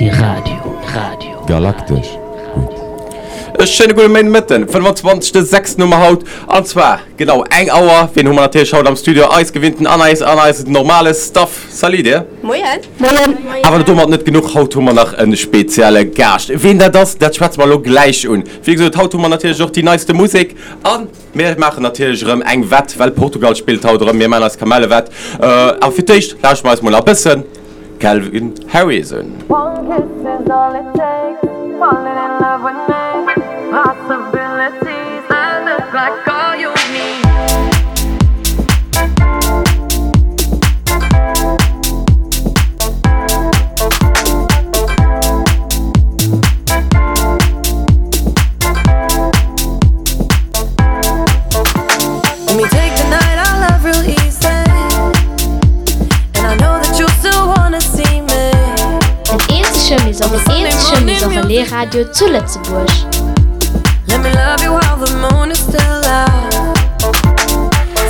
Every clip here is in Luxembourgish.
Galaxy Radio. Radio. Galaktesch gutt. E schéine gudde Méindemëtten, 25 de 6 hu mer haut an zwar genau eng Auer. Wien hu mer natierlech haut am Studio? Eis gewinnten an eis an eis normale Staff. Salut dir. Moien. Moien. Awer domat net genuch, haut hu mer nach e spezielle Gaascht. Wien dat ass, dat schwätze mer elo gläich un. Wéi gesot, haut hu mer natierlech och déi neiste Musek an mir maachen natierlech erëm eng Wett, well Portugal spillt haut erëm. Mir maachen eis Kamellewett. Awer fir d'éischt lauschteren mer eis mol nach e bëssen Calvin Harris un. One kiss is all it takes, falling in love with me, possibilities, I look like all you need. Let me take the night I love real easy. And I know that you still wanna see me. Den eenzege Maison den eenzege Maison Relais Radio zu Lëtzebuerg. Let me love you while the moon is still out.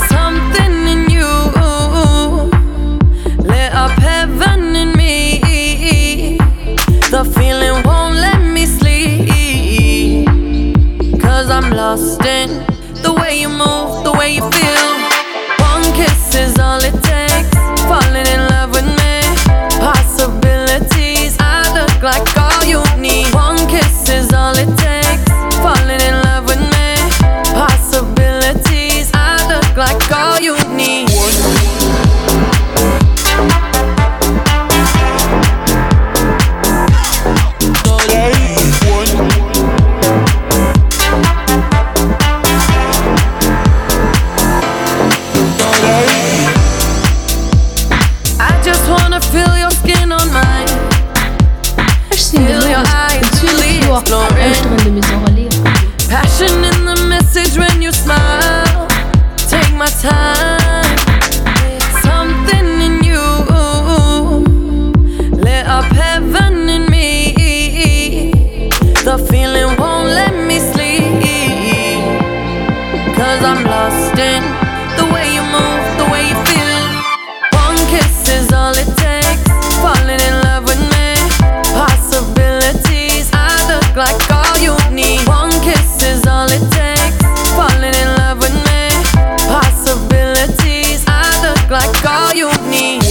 Something in you lit up heaven in me. The feeling won't let me sleep. Cause I'm lost in the way you move, the way you feel. One kiss is all it takes. Falling in love with me. Possibilities, I look like all you need. One kiss is all it takes. Falling in love with me. Possibilities, I look like all you need. I just wanna feel your skin on mine. Ech sinn de Loris, bin 12 Joer a lauschteren de Maison Relais Radio. Passion in the message when you smile. Take my time. Something in you lit up heaven in me. The feeling won't let me sleep. Cause I'm lost in the way you move, the way you feel. One kiss is all it takes. Falling in love with me. Possibilities, I look like all you need. One kiss is all it takes. Falling in love with me. Possibilities, I look like all you need.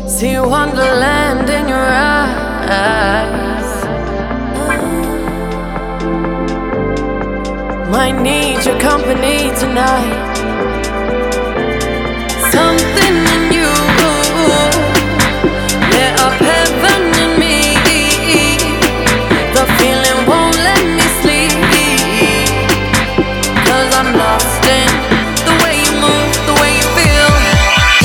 See wonderland in your eyes. Might need your company tonight. Something in you lit up heaven in me. The feeling won't let me sleep. Cause I'm lost in the way you move, the way you feel.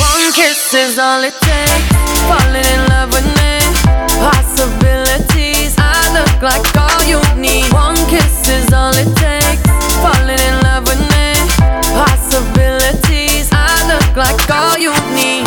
One kiss is all it takes. Falling in love with me. Possibilities, I look like all you need. One kiss is all it takes. Falling in love with me. Possibilities, I look like all you need.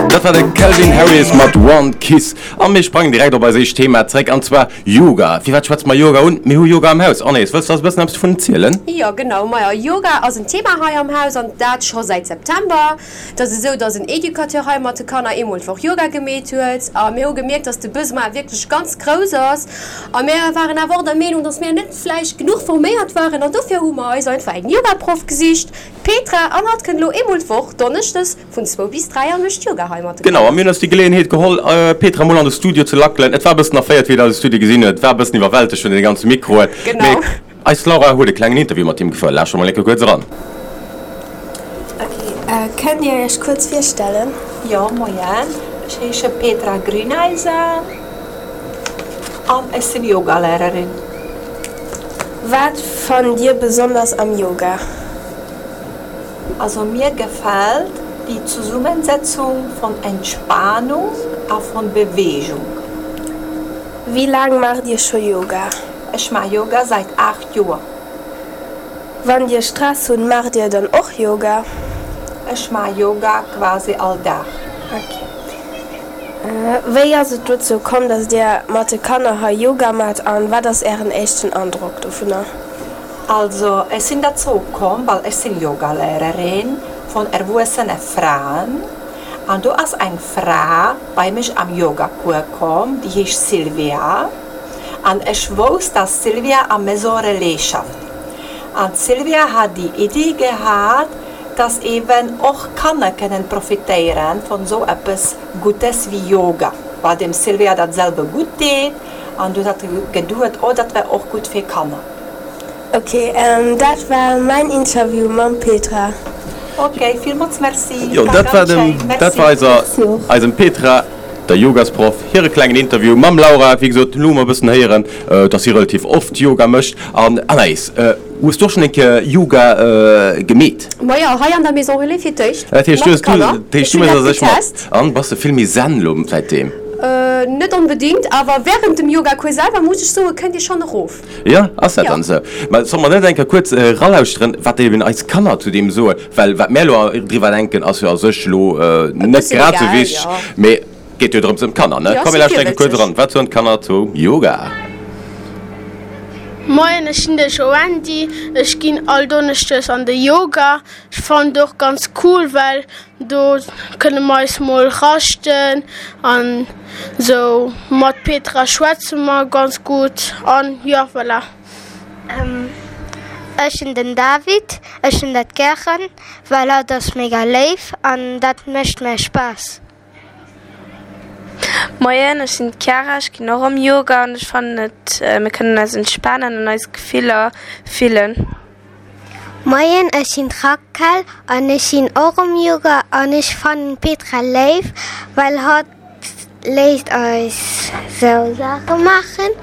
Dat war de Calvin Harris mat One Kiss. A mir sprangen direkt op eis éischt Thema zréck, an zwar Yoga. Firwat schwätze mer Yoga un? Mir hu Yoga am Haus. Anaïs, wëlls de eis e bëssen eppes dovun erzielen? Jo, genau. Majo, Yoga ass en Thema hei am Haus, an dat scho säit September. Et ass esou, dass en Educateur hei mat de Kanner eemol d'Woch Yoga gemeet huet. A mir hu gemierkt, dass de Besoin wierklech ganz grouss ass. A mir waren awer och der Meenung, dass mir net vläicht genuch forméiert waren. An dofir hu mer eis einfach eng Yogaproff gesicht, d'Petra, an hatt kënnt elo eemol d'Woch, donneschdes vun zwou bis 3 a mécht Yoga hei mat de Genau, a Kanner. mir hunn eis déi Geleeënheet geholl, d'Petra mol an de Studio ze lackelen. Et war e bëssen erféiert, wéi een eise Studio gesinn huet. Et war e bëssen iwwerwältegt vun deene ganze Mikroen. Genau. Mee eis Laura huet e klengen Interview mat him gefouert. Lauschtert mol eng Kéier kuerz eran. Ok, kënnt Dir Iech kuerz virstellen? Jo, moien, ech heesche Petra Grüneisen an ech sinn Yogalehrerin. Wat fannt Dir besonders am Yoga? Also mir gefällt die Zusammensetzung von Entspannung a von Bewegung. Wéi laang maacht Dir scho Yoga? Ech maache Yoga säit 8 Joer. Wann Dir Stress hunn, maacht Dir dann och Yoga? Ech maache Yoga quasi all Dag. Ok. Wéi ass et dozou komm, dass Dir mat de Kanner hei Yoga maacht an wat ass Ären éischten Androck dovunner? Also ech sinn derzou komm, well ech sinn Yogalehrerin vun erwuessene Fraen an do ass eng Fra bei mech am Yogacours komm, déi heescht Sylvia an ech wousst, dass d'Sylvia am Maison Relais schafft an d'Sylvia hat déi Iddi gehat, dass eben och Kanner kënnen profitéieren vun esou eppes Gutes wéi Yoga, well dem Sylvia dat selwer gutt deet an du hat geduet, oh dat wär och gutt fir Kanner. Ok, dat war mäin Interview mam Petra. Ok, villmools Merci. Jo, dat war dem, dat war eiser, eisem Petra, der Yogasproff, hire klengen Interview mam Laura. Wéi gesot, elo hu mer e bëssen héieren, dass si relativ oft Yoga mécht. An Anaïs, hues du och schonn eng Kéier Yoga gemeet? Majo, hei an der Maison Relais fir d'éischt Dat heescht, mat du de hues, du, Kanner. dat heescht, Ech du hunn méchs dat a sech mat. getest. An bass de vill méi zen elo säitdeem? Net onbedingt, awer wärend dem Yogacours selwer, muss ech soen, kënnt Dir schonn erof. Jo, ass dat Jo. dann esou? Mä solle mer net eng Kéier kuerz eralauschteren, wat eben eis Kanner zu deem soen? Well wat mär elo driwwer denken, ass jo a sech elo E net bëssen grad esou egal, wichteg, jo. mee geet jo drëms ëm d'Kanner, ne? Jo, Komm, si mir lauschteren eng Kéier kuerz virwëtzeg. eran. Wat soen d'Kanner zu Yoga? Moien, ech sinn de Joandy. Ech ginn all Donneschdes an de Yoga. Ech fannen et och ganz cool, well do kënne mer eis mol raschten an sou. Mat Petra schwätze mer ganz gutt an jo voilà. Ech sinn den David. Ech hunn dat gären, well hatt ass mega léif an dat mécht mär Spaass. Moien, ech sinn d'Chiara, ech ginn och am Yoga an ech fannen et, mir kënnen eis entspanen an eis Gefiller fillen. Moien, ech sinn d'Raquel an ech sinn och am Yoga an ech fannen d'Petra léif, well hatt léisst eis sou Saache maachen.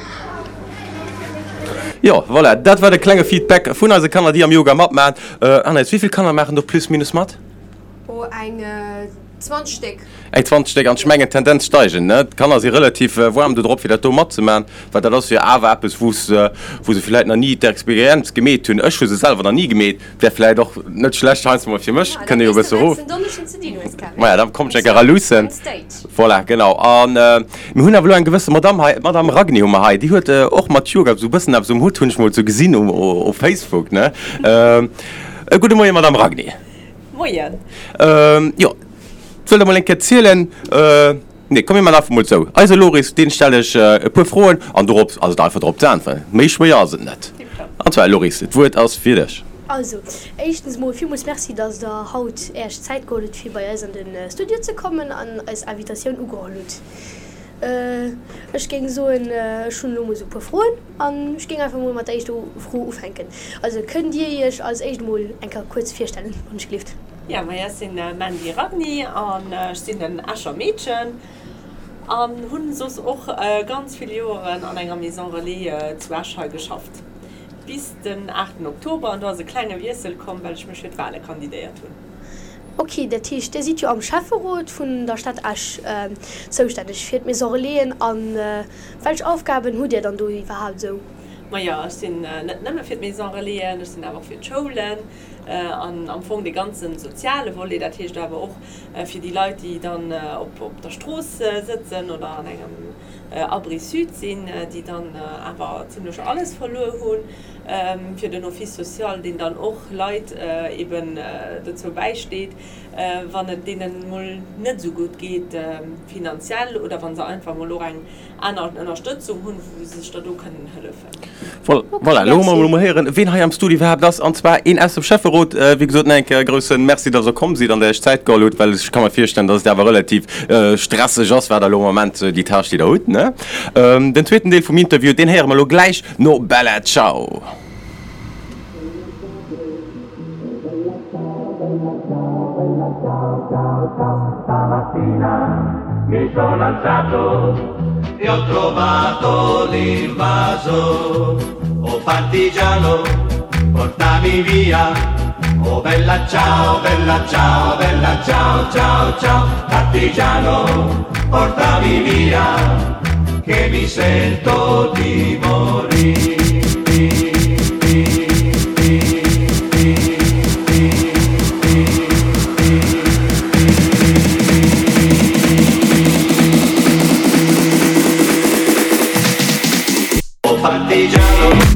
Jo, voilà, dat war de klenge Feedback vun eise Kanner, déi am Yoga matmaachen. Anaïs, wéi vill Kanner maachen do plus minus mat? Oh, eng 20 Stéck. Eng 20 Stéck, an ech mengen Tendenz steigend, ne? D'Kanner si relativ waarm do drop fir dat do matzemaachen, well dat ass jo awer eppes wou se wou se villäit nach ni d'Experienz gemeet hunn. Ech hu se selwer nach ni gemeet, wär villäit och net schlecht heiansdo mol fir mech, kënne jo e bësse erof. Maja, da komm ech eng Kéier eraluussen. Voilà, genau. An mir hunn awer elo eng gewësse Madamm hei, d'Madamm Ragni hu mer hei, déi huet och mat Yoga esou e bëssen eppes um Hutt, hunn ech mol esou gesinn um Facebook, ne? E gudde Moien, Madamm Ragni. Moien. Jo, wëllt der mol eng Kéier zielen? Nee, komm mir man einfach mol sou. Eise Loris, deen stell ech e puer Froen an dorop ass et einfach drop ze äntweren. Méi schwéier ass et net. An zwar, Loris, d'Wuert ass fir dech. Also, éischtens mol villmools Merci, dass der haut Äerch Zäit geholl hutt, fir bei eis an de Studio ze kommen an eis Invitatioun ugeholl hutt. Ech géing soen, ech hunn elo mol sou e puer Froen an ech géing einfach mol mat der éischter Fro ufänken. Also, kënnt Dir Iech als éischt mol eng Kéier kuerz virstellen, wann ech gelift? Jo, majo, ech sinn Mandy Ragni an ech sinn en Escher Meedchen an hunn soss och ganz vill Joeren an enger Maison Relais zu Esch hei geschafft, bis den 8 Oktober an do ass e klenge Wiessel komm, well ech mech fir d'Wale kandidéiert hunn. Ok, dat heescht, Dir sidd jo am Schäfferot vun der Stad Esch zoustänneg fir d'Maison Relaisen. A welch Aufgaben hutt Dir dann do iwwerhaapt esou? Majo, ech sinn net nëmme fir d'Maison Relaisen, ech sinn awer och fir d'Schoulen an am Fong dee ganze soziale Volet, dat heescht awer och fir déi Leit, déi dann op der Strooss sëtzen oder an engem Abri Sud sinn, déi dann awer zimlech alles verluer hunn. fir den Office social, deen dann och Leit eben dozou bäisteet, wann et deenen emol net esou gutt geet finanziell oder wa se einfach emol och eng aner Ënnerstëtzung hunn, wou se sech da do kënnen hëllefen. Voilà, elo hu mer emol héieren, ween hei am Studio iwwerhaapt ass, an zwar een aus dem Schäfferot. Wéi gesot, nach eng Kéier e grousse Merci, dass Der komm sidd an der Iech Zäit geholl hutt, well ech ka mer virstellen, dass et awer relativ stresseg ass, wat Der elo am Moment déi Tâche, déi Der hutt, ne? Den zweeten Deel vum Interview, deen héiere mer elo gläich. No Bella Ciao! Che mi sento di morire. Oh partigiano.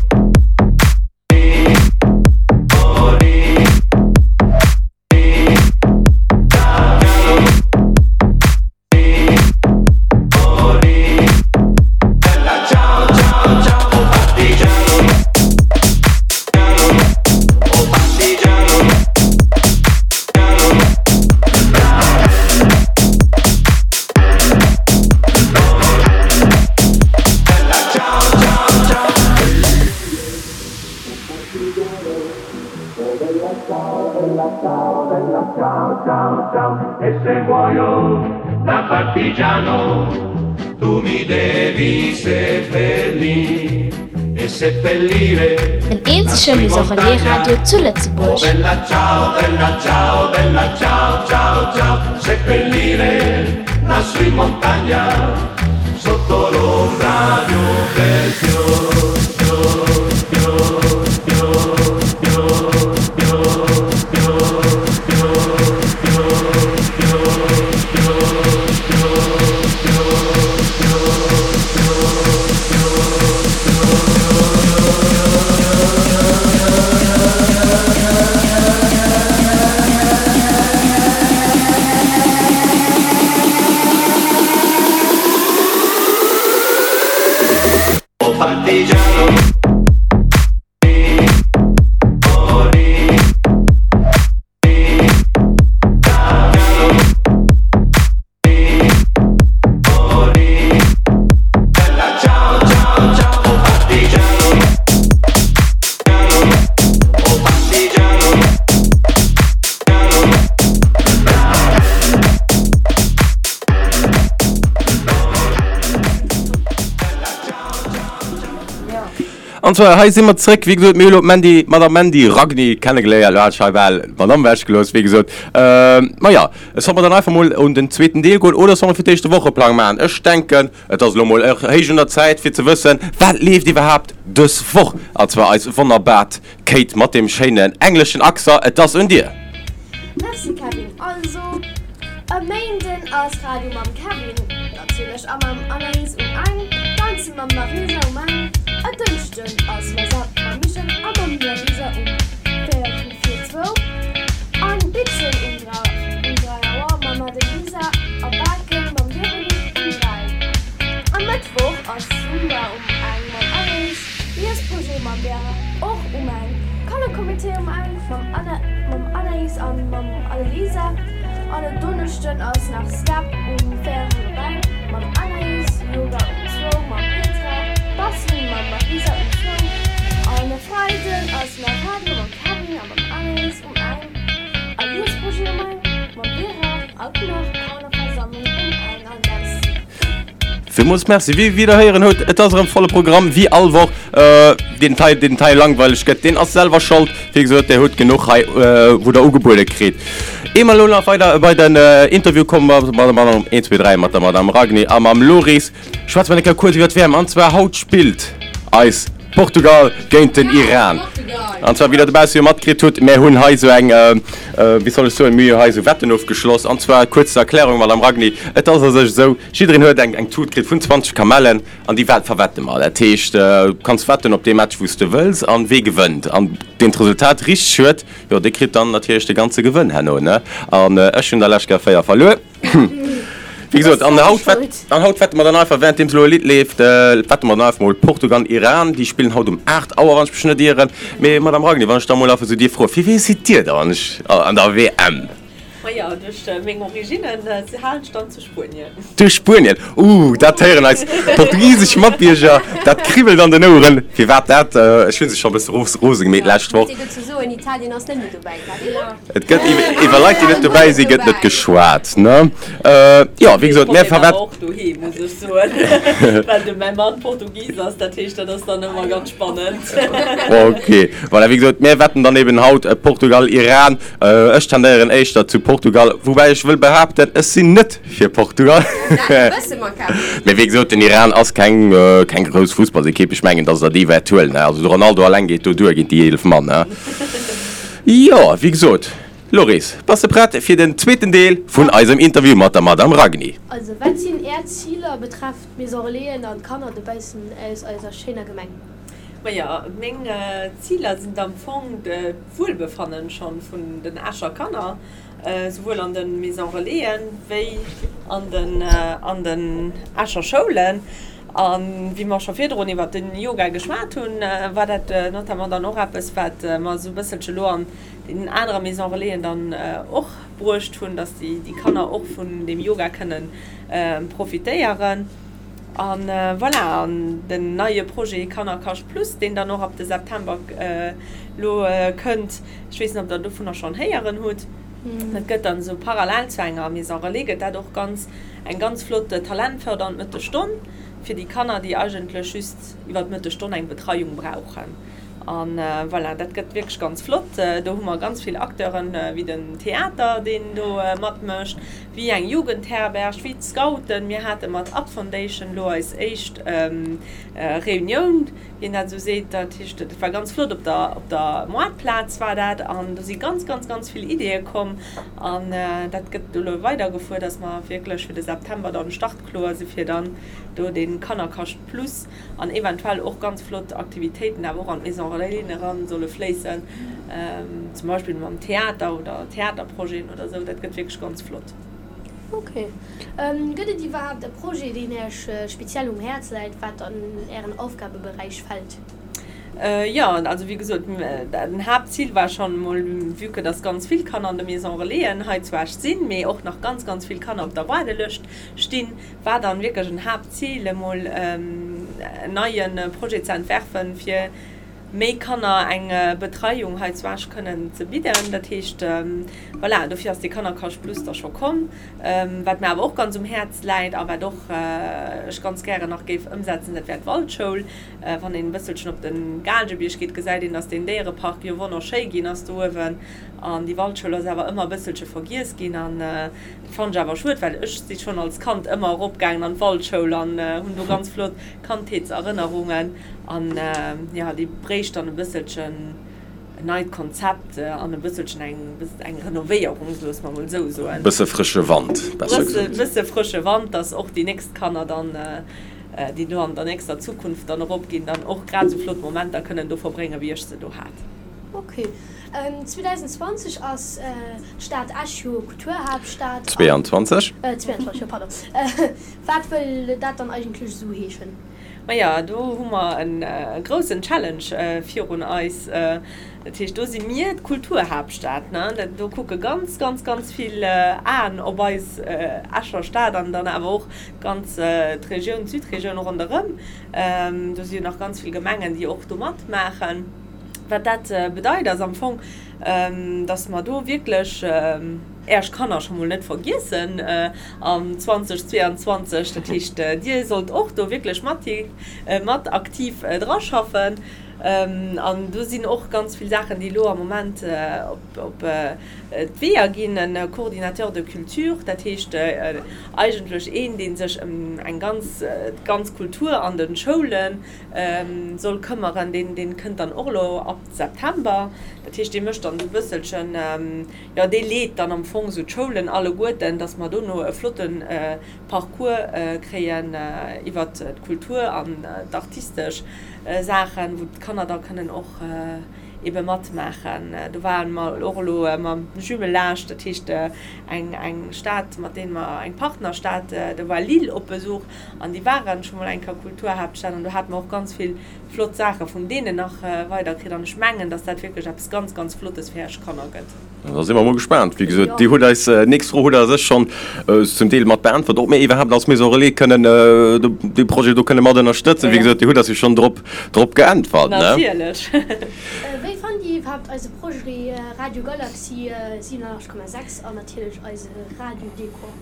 E se muoio da partigiano, tu mi devi seppellire e seppellire. Den eenzege Maison Relais Radio zu Lëtzebuerg. Oh bella ciao, bella ciao, bella ciao, ciao, ciao, seppellire lassù in montagna, sotto l'ombra di un bel fior, fior, fior, fior, fior, fior, fior, fior, fior, fior, fior, fior, fior, fior, fior, Oh partigiano. An zwar, hei si mer zréck, wéi gesot, mir hu lo d'Mandy, d'Madame Mandy Ragni kennegeléiert, lo hat ech hei bal d'Madame ewechgelooss, wéi gesot. Maja, solle mer dann einfach mol un den zweeten Deel goen oder solle mer fir d'éischt de Wocheplang maachen? Ech denken, et ass elo mol héich un der Zäit, fir ze wëssen, wat leeft iwwerhaapt dës Woch? An zwar eis wonnerbart Kate mat deem schéinen engleschen Accent, et ass un dir! Merci Kevin, also e Méinden ass Radio mam Kevin natierlech a mam Anaïs um eng, Danze mam Marisa um eng, e Dënschden ass What's Up mam Michel a mam Larisa um véierel vir zwou an Bitzen um 3 Auer mam Adelisa a Baken mam Véronique um 3. E Mëttwoch ass Zumba um eng mam Anaïs. Liesprojet mam Vera, och um eng, Kannercomité um eng mam Anna, mam Anaïs an mam Annelisa an en Donneschden ass nach Step um véierel op eng mam Anaïs, Yoga um zwou mam Petra, Bastelen mam Marisa um zwou an e Freiden ass nach Radio mam Kevin a mam Anaïs um eng a Liesprojet um eng mam Vera an nach Kannerversammlung um eng an Merci. Villmools Merci. Wéi wéi der héieren hutt, et ass erëm volle Programm, wéi all Woch. Deen hei, deen hei langweileg gëtt, deen ass selwer schold. Wéi gesot, der hutt genuch hei, wou der ugebuede kritt. Ier mer elo nach weider bei den Interview kommen, mat der Madame, 1, 2, 3, mat der Madame Ragni a mam Loris, schwätze mer eng Kéier kuerz iwwer d'WM. An zwar haut spillt eis Portugal géint den Iran. An zwar, wéi der dobausse jo matkritt hutt, mär hunn hei esou eng, wéi soll ech soen, mir hu hei esou Wetten ofgeschloss. An zwar, kuerz zur Erklärung, Madame Ragni, et ass a sech esou, Jiddereen huet eng eng Tut kritt vun 20 Kamellen an déi wat verwette mer. Dat heescht, du kanns wetten op dee Match wou s de wëlls an wee gewënnt. An deen d'Resultat richteg huet, jo dee kritt dann natierlech de ganze Gewënn herno, ne? An ech hunn der lescht Kéier 4 verluer. Wéi gesot, an haut wett an haut wette mer dann einfach, währenddeems elo e Lidd leeft, wette mer dann einfach mol Portugal, Iran. Déi spillen haut um 8 Auer, wann ech mech net ieren. Mee Madame Ragni, wann ech da mol einfach esou dierf froen, fir wee sidd Dir dann an der WM? Majo, duerch meng Originnen halen ech dann zu Spuenien. Duerch Spuenien? Ooh, dat héieren eis portugisesch Matbierger, dat kribbelt an den Oueren. Firwat dat? Ech hu se scho e bësse rose gemeet d'lescht Woch. Muss een dozou soen, Italien ass net méi dobäi, Kevin? Et gëtt iwwer Leit, déi net dobäi sinn, gëtt net geschwat, ne? Jo, wéi gesot, mä firwat. Och doheem, muss ech soen, well de mäi Mann Portugis ass, dat heescht, dat ass dann ëmmer ganz spannend. Ok, voilà, wéi gesot, mir wetten dann eben haut Portugal, Iran. Ech tendéieren éischter zu Portugal. Portugal, woubäi ech wëll behaapten, ech sinn net fir Portugal. Dat wësse mer, Kevin. Mee wéi gesot, den Iran ass keng, keng grouss Fussballsekipp. Ech mengen, dass der déi wäert huelen. Also de Ronaldo alleng geet do duer géint déi 11 Mann. Jo, wéi gesot, Loris, bass de prett fir den zweeten Deel vun eisem Interview mat der Madame Ragni? Also, wat sinn Är Ziler betreffend d'Maison Relaisen an d'Kanner dobaussen aus eiser schéiner Gemeng? Majo, meng Ziler sinn am Fong d'Wuelbefannen schonn vun den Escher Kanner, souwuel an de Maison Relaisen wéi an den an den Escher Schoulen. A wéi mer scho virdrun iwwert den Yoga geschwat hunn, war dat notamment dann och eppes, wat mer esou e bësselche lo an deenen anere Maison Relaisen dann och bruecht hunn, dass déi Kanner och vun deem Yoga kënnen profitéieren. A voilà, an den neie Projet Kannerkascht Plus, deen dann och ab de September elo kënnt, ech weess net, ob Der dovunner schonn héieren hutt, dat gëtt dann esou parallel zu enger Maison Relais, gëtt dat och ganz, eng ganz flott talentfördernd Mëttesstonn fir déi Kanner, déi eigentlech just iwwer d'Mëttesstonn eng Betreiung brauchen. A voilà, dat gëtt wierklech ganz flott. Do hu mer ganz vill Acteuren, wéi den Theater, deen do matmécht, wéi eng Jugendherberg, wéi d'Scouten. Mir hate mat Up Foundation elo eis éischt Reunioun, wéi een dat esou seet. Dat heescht, dat war ganz flott, op der, op der Moartplaz war dat. An do si ganz, ganz, ganz vill Ideeë komm. An dat gëtt elo weidergefuer, dass mer wierklech fir de September dann startkloer si fir dann do dee Kannerkascht plus an eventuell och ganz flott Aktivitéiten awer och an d'Maison Relaisen eran solle fléissen, zum Beispill mam Theater oder Theaterprojeten oder esou. Dat gëtt wierklech ganz flott. Ok. Gëtt et iwwerhaapt e Projet, deen Iech speziell um Häerz läit, wat an Ären Aufgabeberäich fält? Jo, also wéi gesot, den Haaptzil war schonn emol, vue que dass ganz vill Kanner an de Maison Relaisen hei zu Esch sinn, mee och nach ganz, ganz vill Kanner op der Waardelëscht stinn, war dann wierklech en Haaptzil emol en neie Projet ze entwerfen, fir méi Kanner eng Betreiung hei zu Esch kënnen ze bidden. Dat heescht, voilà, dofir ass dee Kannerkascht Plus da scho komm. Wat mir awer och ganz um Häerz läit a wat och ech ganz gären nach géif ëmsetzen, dat wär d'Waldschoul. Wann een e bësselchen op de Gaalgebierg geet, gesäit een, dass deen Déierepark jo wonnerschéi ginn ass do uewen. An déi Waldschoul ass awer ëmmer e bësselche vergiess ginn. An Dat fannen ech awer schued, well ech si schon als Kand ëmmer erop gaangen an d'Waldschoul an hunn do ganz flott Kandheetserënnerungen an jo déi bréicht dann e bësselchen en neit Konzept an e bësselchen eng eng Renovéierung, loosse mer mol esou soen. Bësse frësche Wand, besser gesot. Bësse frësche Wand, dass och déi nächst Kanner dann, déi do an der nächster Zukunft dann erop ginn, dann och grad esou flott Momenter kënnen do verbréngen, wéi ech se do hat. Ok. 2020 ass d'Stad Esch jo Kulturhaaptstad. 22. 22, jo pardon. Wat wëll dat dann eigentlech esou heeschen? Maja, do hu mer e groussen Challenge virun eis. Dat heescht, do si mir d'Kulturhaaptstad, ne? Do kucke ganz, ganz, ganz vill Aen op eis Escher Stad an dann awer och d'ganz d'Regioun, d'Südregioun ronderëm. Do si jo nach ganz vill Gemengen, déi och do matmaachen. Wat dat bedeit, ass am Fong, dass mer do wierklech Äerch Kanner scho mol net vergiessen am 2022. Dat heescht, Dir sollt och do wierklech mat, mat aktiv draschaffen. An do sinn och ganz vill Saachen, déi elo am Moment op d'Weeër ginn. En Coordinateur de culture, dat heescht eigentlech een, dee sech ëm eng ganz, d'ganz Kultur an de Schoulen soll këmmeren, deen, deen kënnt dann och elo ab September. Dat heescht, dee mécht dann esou e bësselchen, jo, dee leet dann am Fong esou d'Schoulen alleguerten, dass mer dono e flotte Parcours kréien iwwert d'Kultur an d'artistesch Saachen, wou d'Kanner da kënnen och ebe matmaachen. Do ware mer och elo mam Jumelage, dat heescht eng, eng Stad, mat deem mer, eng Partnerstad, do war Lille op Besuch. An déi waren scho mol eng Kéier Kulturhaaptstad an do hate mer och ganz vill flott Saache vun deenen nach weiderkritt. An ech mengen, dass dat wierklech eppes ganz, ganz Flottes fir Iech Kanner gëtt. Da si mer mol gespaant. Wéi gesot, Dir hutt eis nächst Fro hutt Der sech schonn zum Deel mat beäntwert, ob mir iwwerhaapt als Maison Relais kënnen dee Projet do kënne mat ënnerstëtzen. Wéi gesot, Dir hutt eis jo schonn drop, drop geäntwert, ne? Natierlech. Wéi fannt Dir iwwerhaapt eise Projet Radio Galaxy 87,6 an natierlech eise Radio Dekor?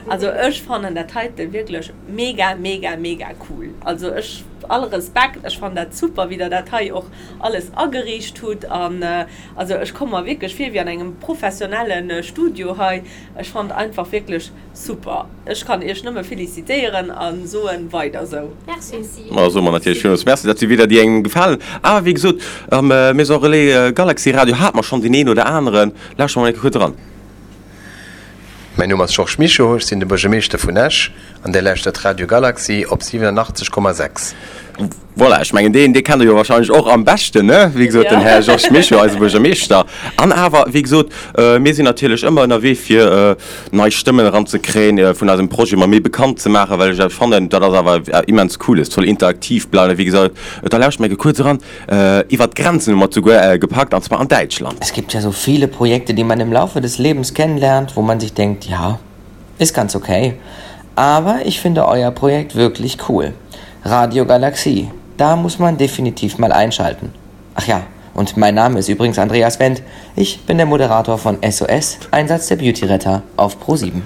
Also ech fannen dat heiten wierklech mega mega mega cool. Also ech, all Respekt, ech fannen dat super wéi der dat hei och alles ageriicht hutt an also ech komme mer wierklech vir wéi an engem professionellen Studio hei. Ech fannen einfach wierklech super. Ech kann iech nëmme felicitéieren a soen weider sou. Merci. Ma soe mer natierlech villmools Merci, dat si Wieder déi engem gefalen. Awer wéi gesot, am Maison Relais Galaxy Radio hate mer schonn deen een oder aneren. Lauschtere mer mol eng Kéier kuerz eran. Mäin Numm ass Georges Mischo, ech sinn de Buergermeeschter vun Esch an Dir lauschtert Radio Galaxy op 87,6. Voilà, ech mengen deen, dee kennt Der jo wahrscheinlech och am beschten, ne? Wéi gesot, den Här Georges Mischo, eise Buergermeeschter. An awer, wéi gesot, mir sinn natierlech ëmmer ënnerwee fir nei Stëmmen eranzekréien, vun eisem Projet mol méi bekannt ze maachen, well ech fannen, dat ass awer immens cool, et soll interaktiv bleiwen. Wéi gesot, da lauschtert mer eng Kéier kuerz eran. Iwwer d'Grenzen hu mer et souguer gepackt, an zwar an Däitschland. Es gibt ja so viele Projekte, die man im Laufe des Lebens kennenlernt, wo man sich denkt, ja, ist ganz okay. Aber ich finde euer Projekt wirklich cool. Radio Galaxie, da muss man definitiv mal einschalten. Ach ja, und mein Name ist übrigens Andreas Wendt. Ich bin der Moderator von SOS, Einsatz der Beautyretter auf Pro7.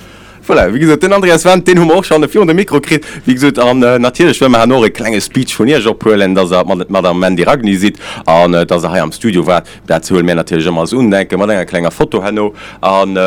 Voilà, wéi gesot, den Andreas Wendt, deen hu mer och schonn virun de Mikro kritt, wéi gesot. An natierlech wëlle mer herno och e klenge Speech vun Iech ophuelen, dass Der mat d'Madame Mandy Ragni sidd an dass Der hei am Studio waart. Dat huele mir natierlech ëmmer als Undenken, mat enger klenger Foto herno. An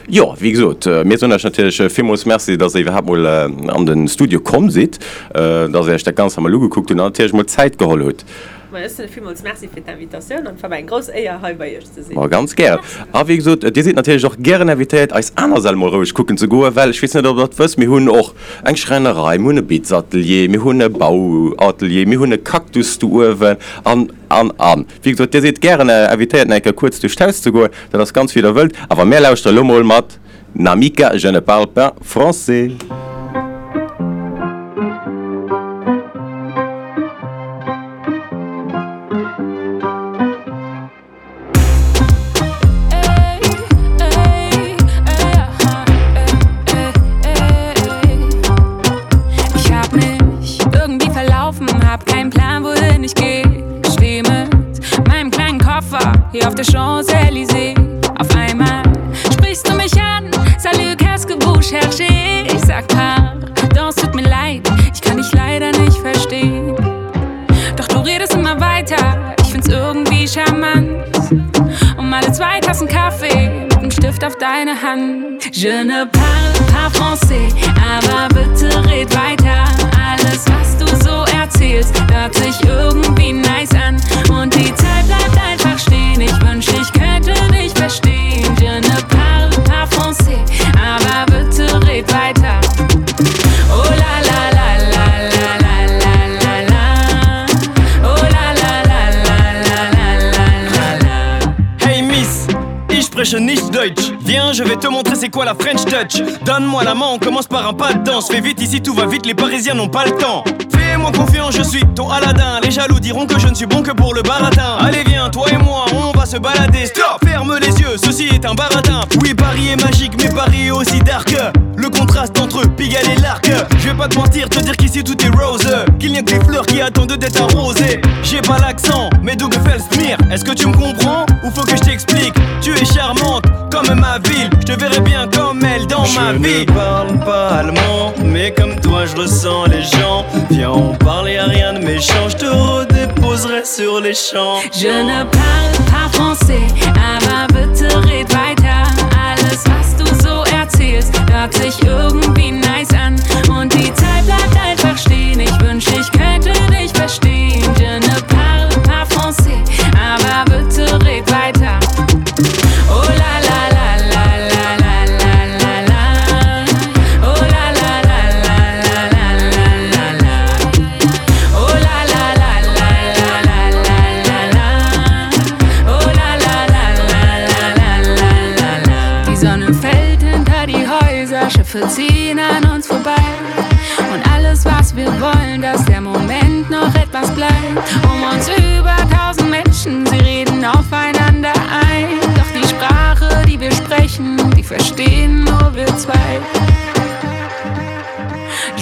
jo, wéi gesot, mir soen Iech natierlech villmools Merci, dass Der iwwerhaapt mol an de Studio komm sidd, dass Der Iech dat Ganzt emol ugekuckt hutt an natierlech mol Zäit geholl hutt. Ma ech soen villmools Merci fir d'Invitatioun an et war mer eng grouss Éier hei bei Iech ze sinn. Ma ganz gären. A wéi gesot, Dir sidd natierlech och gären invitéiert eis aner Säll mol roueg kucken ze goen, well ech weess net ob Der et wësst, mir hunn och eng Schräinerei, mir hunn e Bitzatelier, mir hunn e Bauatelier, mir hunn e Cactus do uewen an, an, an. Wéi gesot, Dir sidd gären invitéiert nach eng Kéier kuerz duerch d'Haus ze goen, dat ass ganz wéi Der wëllt. Awer mär lauschtere lo mol mat Namika, je ne parle pas français. Ich hab mich irgendwie verlaufen, hab keinen Plan, wohin ich geh. Steh mit meinem kleinen Koffer hier auf der Champs-Élysées. Auf einmal sprichst du mich an, Salut, qu'est-ce que vous cherchez? Ich sag pardon, es tut mir leid, ich kann dich leider nicht verstehen. Doch du redest immer weiter, ich find's irgendwie charmant. Um alle zwei Tassen Kaffee mit dem Stift auf deine Hand. Je ne parle pas français, aber bitte red weiter. Alles, was du so erzählst, hört sich irgendwie nice an. Und die Zeit bleibt einfach stehen. Ich wünsch, ich könnte dich verstehen. Je ne parle pas français, aber bitte red weiter. Oh la la la la la la la la la. Oh la la la la la la la la la. Hey Miss, ich spreche nicht Deutsch. Viens, je vais te montrer c'est quoi la French Touch. Donne-moi la main, on commence par un pas de danse. Fais vite ici, tout va vite, les Parisiens n'ont pas le temps. Fais-moi confiance, je suis ton Aladdin. Les jaloux diront que je ne suis bon que pour le baratin. Allez viens, toi et moi, on va se balader. Stop, ferme les yeux, ceci est un baratin. Oui, Paris est magique, mais Paris est aussi dark. Le contraste entre Pigalle et l'arc. Je vais pas te mentir, te dire qu'ici tout est rose. Qu'il n'y a que des fleurs qui attendent d'être arrosées. J'ai pas l'accent, mais d'où Mir. Est-ce que tu me comprends ou faut que je t'explique Tu es charmante comme ma ville. Je te verrai bien comme elle dans je ma vie. Je ne parle pas allemand, mais comme toi je ressens les gens. Viens, on parle, y a rien de méchant. Je te redéposerai sur les champs. Je ne parle pas français, aber bitte red weiter. Alles, was du so erzählst, hört sich irgendwie nice an. Und die Zeit bleibt einfach stehen. Ich wünsch, ich könnte dich verstehen. Je ne parle pas français, aber bitte red weiter. Oh la la la la la la la la la. Oh la la la la la la la la la. Oh la la la la la la la la la. Oh la la la la la la la la la. Die Sonne fällt hinter die Häuser, Schiffe ziehen an uns vorbei. Und alles, was wir wollen, dass der Moment noch etwas bleibt. Um uns über tausend Menschen, sie reden aufeinander ein. Doch die Sprache, die wir sprechen, die verstehen nur wir zwei.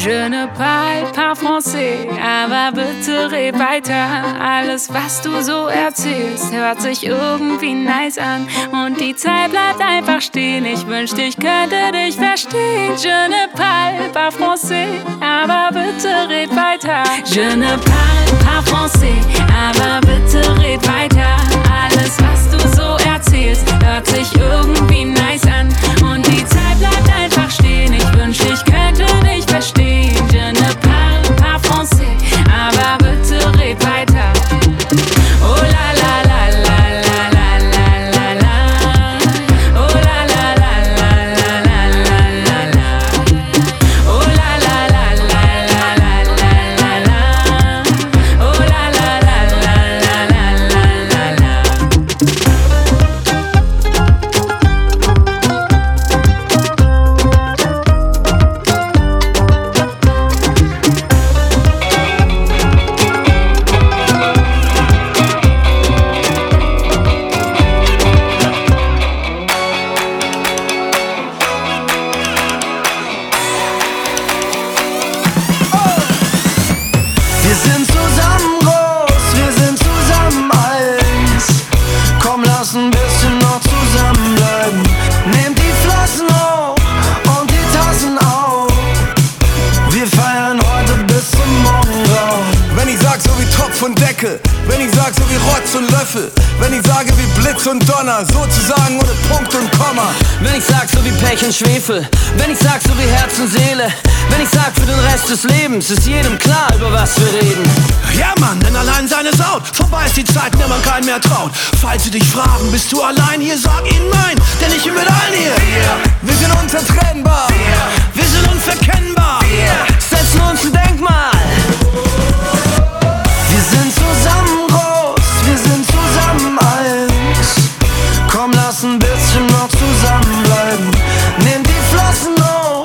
Je ne parle pas français, aber bitte red weiter. Alles, was du so erzählst, hört sich irgendwie nice an. Und die Zeit bleibt einfach stehen. Ich wünschte, ich könnte dich verstehen. Je ne parle pas français, aber bitte red weiter. Je ne parle pas français, aber bitte red weiter. Alles, was du so erzählst, hört sich irgendwie nice an. Und die Zeit bleibt einfach stehen. Ich wünschte, ich könnte dich verstehen. Je ne parle pas français, aber bitte red weiter. Oh la la la la la la la la la. Oh la la la la la la la la la. Oh la la la la la la la la la. Oh la la la la la la la la la. Wir sind zusammen groß, wir sind zusammen eins. Komm, lass ein bisschen noch zusammenbleiben. Nehmt die Flaschen hoch und die Tassen auf. Wir feiern heute bis zum Morgengrauen. Wenn ich sag so wie Topf und Deckel, wenn ich sag so wie Rotz und Löffel, wenn ich sage wie Blitz und Donner, sozusagen ohne Punkt und Komma. Wenn ich sag so wie Pech und Schwefel, wenn ich sag so wie Herz und Seele, wenn ich sag für den Rest des Lebens, ist jedem klar, über was wir reden. Ja Mann, denn allein sein ist out. Vorbei ist die Zeit, in der man keinen mehr traut. Falls sie dich fragen, bist du allein hier, sag ihnen nein, denn ich bin mit allen hier. Wir, wir sind unzertrennbar. Wir, wir sind unverkennbar. Wir setzen uns ein Denkmal. Wir sind zusammen groß, wir sind zusammen eins. Komm, lass ein bisschen noch zusammenbleiben. Nehmt die Flossen hoch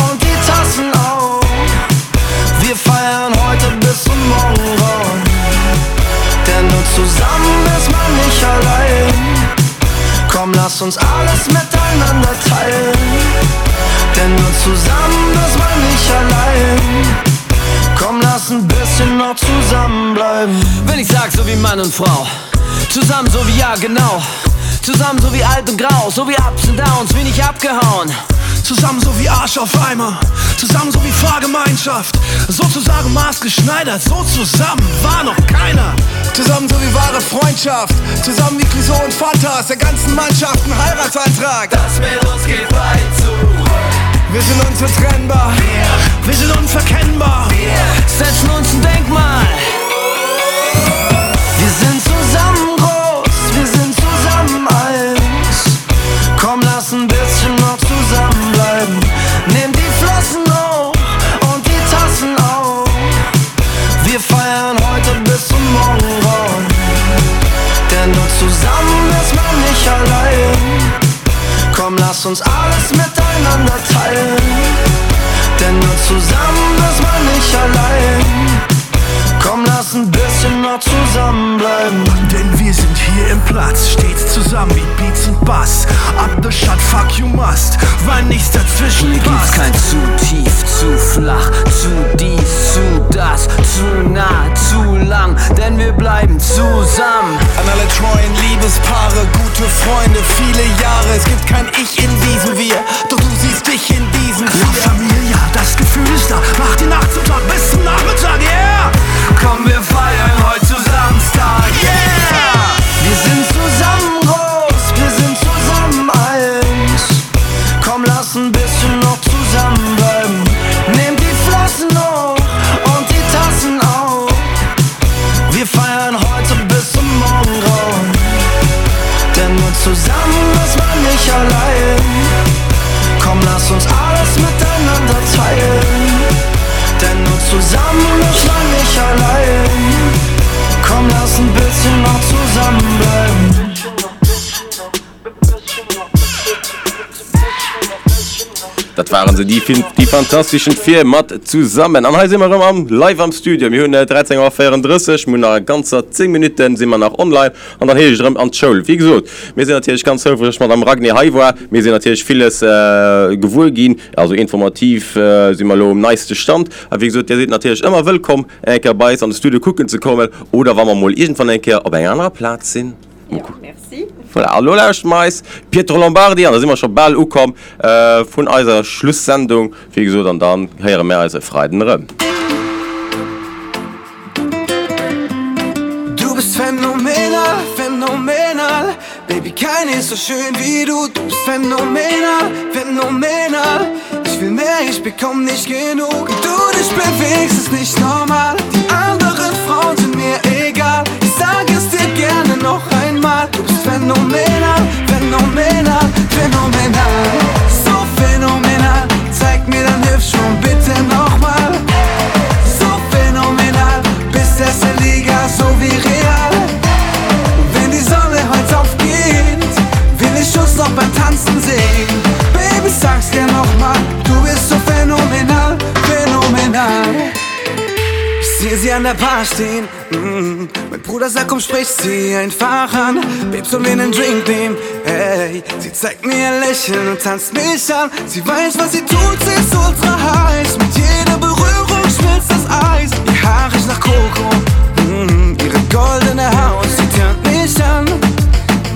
und die Tassen auf. Wir feiern heute bis zum Morgengrauen. Denn nur zusammen ist man nicht allein. Komm, lass uns alles miteinander teilen. Denn nur zusammen ist man nicht allein. Komm, lass ein bisschen noch zusammenbleiben. Wenn ich sag so wie Mann und Frau, zusammen so wie ja genau, zusammen so wie alt und grau, so wie Ups und Downs, wie nicht abgehauen. Zusammen so wie Arsch auf Eimer, zusammen so wie Fahrgemeinschaft, sozusagen maßgeschneidert, so zusammen war noch keiner. Zusammen so wie wahre Freundschaft, zusammen wie Clouseau und Fantas, der ganzen Mannschaft ein Heiratsantrag. Das mit uns geht weit zurück. Wir sind unzertrennbar, wir, wir sind unverkennbar, wir setzen uns ein Denkmal. Wir sind zusammen groß, wir sind zusammen eins. Komm, lass ein bisschen noch zusammenbleiben. Nehmt die Flossen hoch und die Tassen auf. Wir feiern heute bis zum Morgengrauen. Denn nur zusammen ist man nicht allein. Komm, lass uns alles miteinander teilen. Denn nur zusammen ist man nicht allein. Komm, lass ein bisschen noch zusammenbleiben. Denn wir sind hier im Platz, stets zusammen wie Beats und Bass. Ab the shot, fuck you must, weil nichts dazwischen Hier gibt's passt. kein zu tief, zu flach, zu dies, zu das, zu nah, zu lang, denn wir bleiben zusammen. An alle treuen Liebespaare, gute Freunde, viele Jahre. Es gibt kein Ich in diesem Wir, doch du siehst dich in diesem La Wir. Familia, das Gefühl ist da, mach die Nacht zum Tag bis zum Nachmittag, yeah! Komm, wir feiern heute zu Samstag, yeah! Wir sind zusammen groß, wir sind zusammen eins. Komm, lass ein bisschen noch zusammenbleiben. Nehmt die Flossen hoch und die Tassen auf. Wir feiern heute bis zum Morgengrauen. Denn nur zusammen ist man nicht allein. Dat waren se, déi déi Fantastischen Vier mat Zusammen. An hei si mer erëm am live am Studio. Mir hunn 13 Auer 34, mir hunn nach ganzer 10 Minutten si mer nach online an dann heescht et erëm an d'Schoul. Wéi gesot, mir sinn natierlech ganz houfreg, dass d'Madame Ragni hei war. Mir sinn natierlech villes gewuer ginn, also informativ si mer elo um neiste Stand. A wéi gesot, Dir sidd natierlech ëmmer wëllkomm, eng Kéier bei eis an de Studio kucken ze kommen oder wa mer mol iergendwann eng Kéier op enger anerer Plaz sinn. Jo, merci. Voilà, an elo lauschteren mer eis Pietro Lombardi an, da si mer scho bal ukomm vun eiser Schlusssendung, wéi gesot, an dann héiere mär eis e Freiden erëm. Du bist phänomenal, phänomenal Baby, keine ist so schön wie du Du bist phänomenal, phänomenal Ich will mehr, ich bekomm nicht genug Wie du dich bewegst, ist nicht normal Die anderen Frauen sind mir egal Ich sag es dir gerne noch einmal Du bist phänomenal, phänomenal, phänomenal So phänomenal Zeig mir dein Hüftschwung bitte nochmal So phänomenal Bist erste Liga, so wie Real Wenn die Sonne heute aufgeht Will ich uns noch beim Tanzen sehen Baby, sag's dir nochmal Du bist so phänomenal, phänomenal Ich seh sie an der Bar stehen mm. Mein Bruder sagt, komm, sprich sie einfach an Babe, sollen wir 'nen Drink nehmen? Hey, sie zeigt mir ihr Lächeln und tanzt mich an Sie weiß, was sie tut, sie ist ultra heiß Mit jeder Berührung schmilzt das Eis Ihr Haar riecht nach Koko mm, Ihre goldene Haut, sie tönt mich an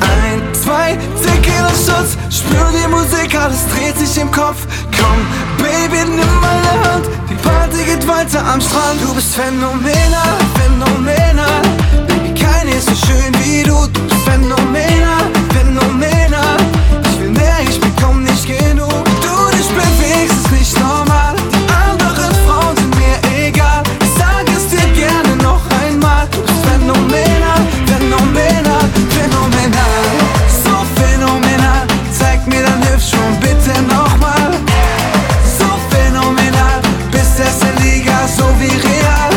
Ein, zwei, Tequila Shots Spür die Musik, alles dreht sich im Kopf Komm, Baby, nimm meine Hand Die Party geht weiter am Strand Du bist phänomenal, phänomenal Baby, keine ist so schön wie du Du bist phänomenal, phänomenal Ich will mehr, ich bekomm nicht genug Wie du dich bewegst, ist nicht normal Die anderen Frauen sind mir egal Ich sag es dir gerne noch einmal Du bist phänomenal, phänomenal, phänomenal So phänomenal Zeig mir dein Hüftschwung bitte nochmal So phänomenal Bist erste Liga, so wie Real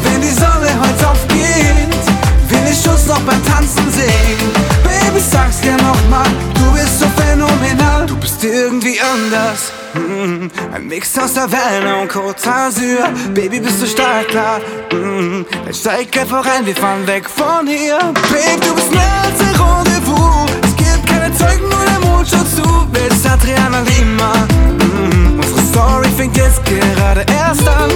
Wenn die Sonne heute aufgeht Will ich uns noch beim Tanzen sehen Baby, sag's dir nochmal Du bist so phänomenal Du bist irgendwie anders mm, Ein Mix aus Savannah und Côte d'Azur Baby, bist du startklar mm, Dann steig einfach ein, wir fahren weg von hier Babe, du bist mehr als ein Rendezvous Es gibt keine Zeugen, nur der Mond schaut zu Willst Adriana Lima mm, Unsere Story fängt jetzt gerade erst an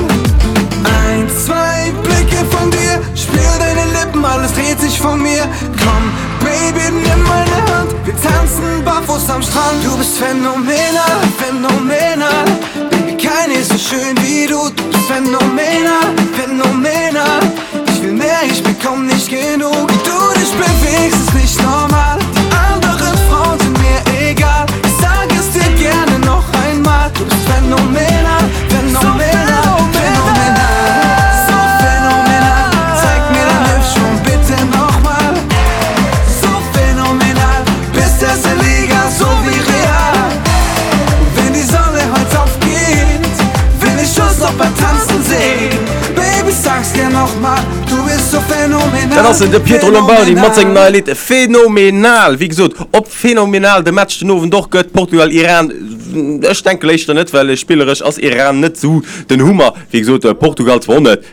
Ein, zwei Blicke von dir Spür deine Lippen, alles dreht sich von mir Komm, Baby, nimm meine Hand Wir tanzen barfuß am Strand Du bist phänomenal, phänomenal Baby, keine ist so schön wie du Du bist phänomenal, phänomenal Ich will mehr, ich bekomm nicht genug Wie du dich bewegst, ist nicht normal Die anderen Frauen sind mir egal Ich sag es dir gerne noch einmal Du bist phänomenal, phänomenal, phänomenal So phänomenal Zeig mir dein Hüftschwung bitte nochmal So phänomenal Bist erste Liga, so wie Real Wenn die Sonne heute aufgeht Will ich uns noch beim Tanzen sehen Baby, sag's dir nochmal Du bist so phänomenal Dat ass en, de Pietro Lombardi mat sengem neie Lidd Phänomenal. Wéi gesot, ob phänomenal de Match den Owend och gëtt, Portugal-Iran, ech denke léischter net, well spilleresch ass Iran net esou den Hummer. Wéi gesot, Portugal zwar och net.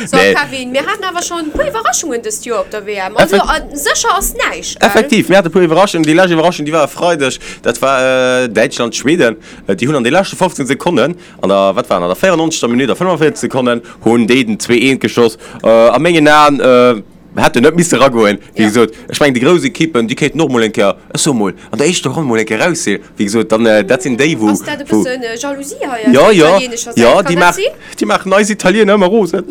So Kevin, mir haten awer schonn e puer Iwwerraschungen dëst Joer op der WM. Also sécher ass näischt, gell? Effektiv, mir hate puer Iwwerraschungen. Déi lescht Iwwerraschung, déi war e Freideg, dat war Däitschland-Schweden. Déi hunn an de leschte 15 Sekonnen, an der, wat war, an der 94. Minutt a 45 Sekonnen hunn déi den 2, 1 geschoss. A mengen Aen hätt en net misse eragoen. Wéi gesot, ech mengen déi grouss Ekippen, déi kéinten och mol eng Kéier, ech soe mol, an der éischter Ronn mol eng Kéier raus sinn. Wéi gesot, dann, dat sinn déi, wou, Ass dat e wou. bëssen Jalousie hei aus Jo, der jo, italienescher Säit? jo, Kann déi dat maachen, sinn? déi maachen eis Italiener ëmmer rosen.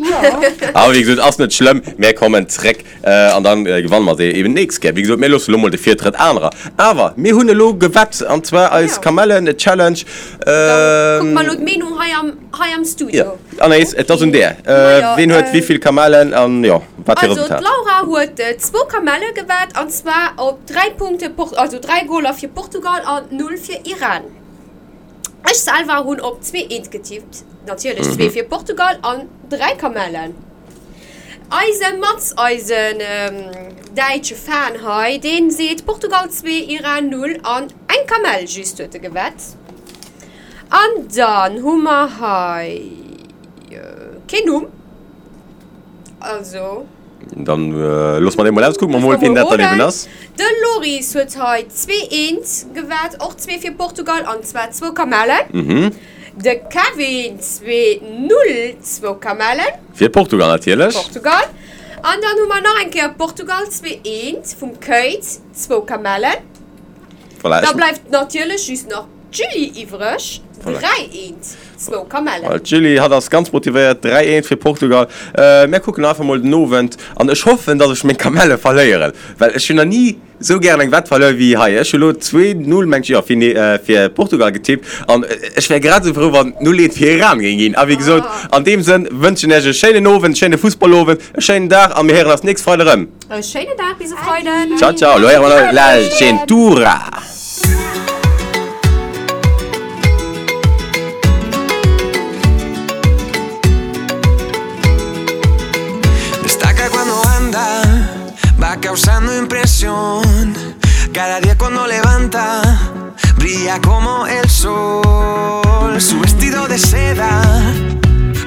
Awer wéi gesot, ass net schlëmm, mär kommen zréck an dann gewanne mer se eben d'nächst Kéier. Wéi gesot, mir loosse elo mol de Virtrëtt anerer. Awer mir hunn elo gewett, an zwar eis Kamellen-Challenge. Kucke mer elo d'Meenung hei am. Hei am Studio. Jo, Anaïs, et ass un där. Majo, Ween huet wéi vill Kamellen an jo, wat fir Also Resultat? d'Laura huet zwou Kamelle gewett an zwar op 3 Punkte, also 3 Goler fir Portugal an 0 fir Iran. Ech selwer hunn op 2 eent getippt, natierlech 2 fir Portugal an 3 Kamellen. Eise Mats, eisen däitsche Fan hei, dee seet Portugal 2, Iran 0 an eng Kamell just huet e gewett. An dann hu mer hei keen Numm. Also. Dann loosse mer dee mol aus, kucke mer mol, wien dat dann eben ass. De Loris huet hei 2, 1 gewat, och 2 fir Portugal an zwar zwou Kamellen. De Kevin 2, 0, zwou Kamellen. Fir Portugal natierlech. Portugal. An dann hu mer nach eng Kéier Portugal 2, 1 vum Kate, zwou Kamellen. Voilà, Da ech. bleift natierlech just nach d'Julie iwwreg, 3, 1, zwou Kamellen. Voilà, d'Julie, hatt ass ganz motivéiert, 3, 1 fir Portugal. Mär kucken einfach mol den Owend an ech hoffen, dass ech meng Kamelle verléieren, well ech hunn nach ni Sou gären eng Wett verluer wéi hei. Ech hu lo 2, 0 mengt jo fir Portugal getippt an ech wär grad esou frou wann 0, 1 fir Iran géing ginn. A wéi gesot, an deem Sënn wënschen ech e schéinen Owend, schéine Fussballowend, e schéinen Dag a mir héieren eis nächst Freide rëm. E schéinen Dag, bis e Freiden. Ciao ciao, lo héiere mer La Gentura. Destaca cuando anda Va causando impresión Cada día cuando levanta Brilla como el sol Su vestido de seda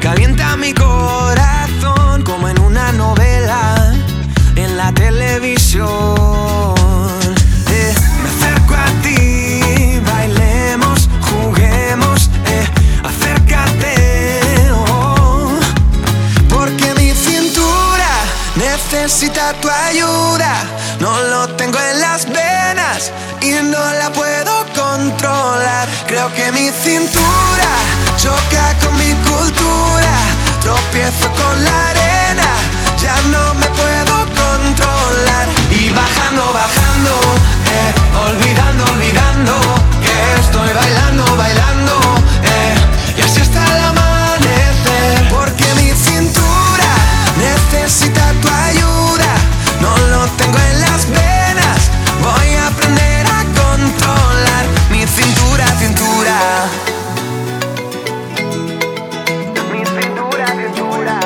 Calienta mi corazón Como en una novela En la televisión eh, Me acerco a ti Bailemos, juguemos eh, Acércate oh, Porque mi cintura Necesita tu ayuda No lo tengo en las venas Y no la puedo controlar Creo que mi cintura Choca con mi cultura Tropiezo con la arena Ya no me puedo controlar Y bajando, bajando eh, Olvidando, olvidando Que estoy bailando, bailando eh, Y así hasta el amanecer Porque mi cintura Necesita tu ayuda No lo tengo en las venas Voy a aprender a controlar Mi cintura, cintura Mi cintura, cintura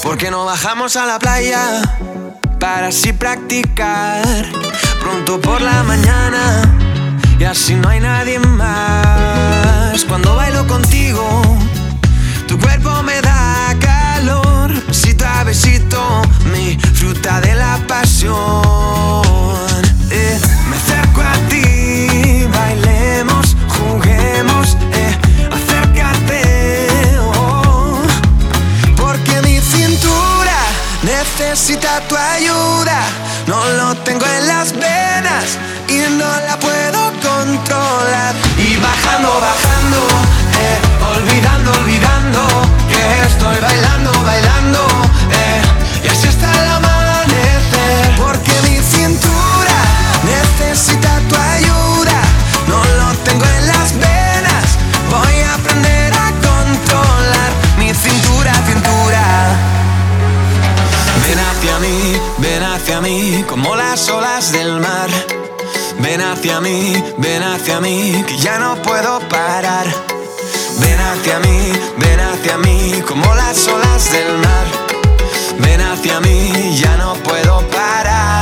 Porque no bajamos a la playa Para así practicar Pronto por la mañana Y así no hay nadie más Cuando bailo contigo Tu cuerpo me da calor Besito a besito Mi fruta de la pasión eh, Me acerco a ti Bailemos, juguemos eh, Acércate oh, Porque mi cintura Necesita tu ayuda No lo tengo en las venas Y no la puedo controlar Y bajando, bajando eh, Olvidando, olvidando Que estoy bailando, bailando eh, Y así hasta el amanecer Porque mi cintura Necesita tu ayuda No lo tengo en las venas Voy a aprender a controlar Mi cintura, cintura Ven hacia mí, ven hacia mí Como las olas del mar Ven hacia mí, ven hacia mí Que ya no puedo parar Ven hacia mí, ven hacia mí Como las olas del mar Ven hacia mí, ya no puedo parar.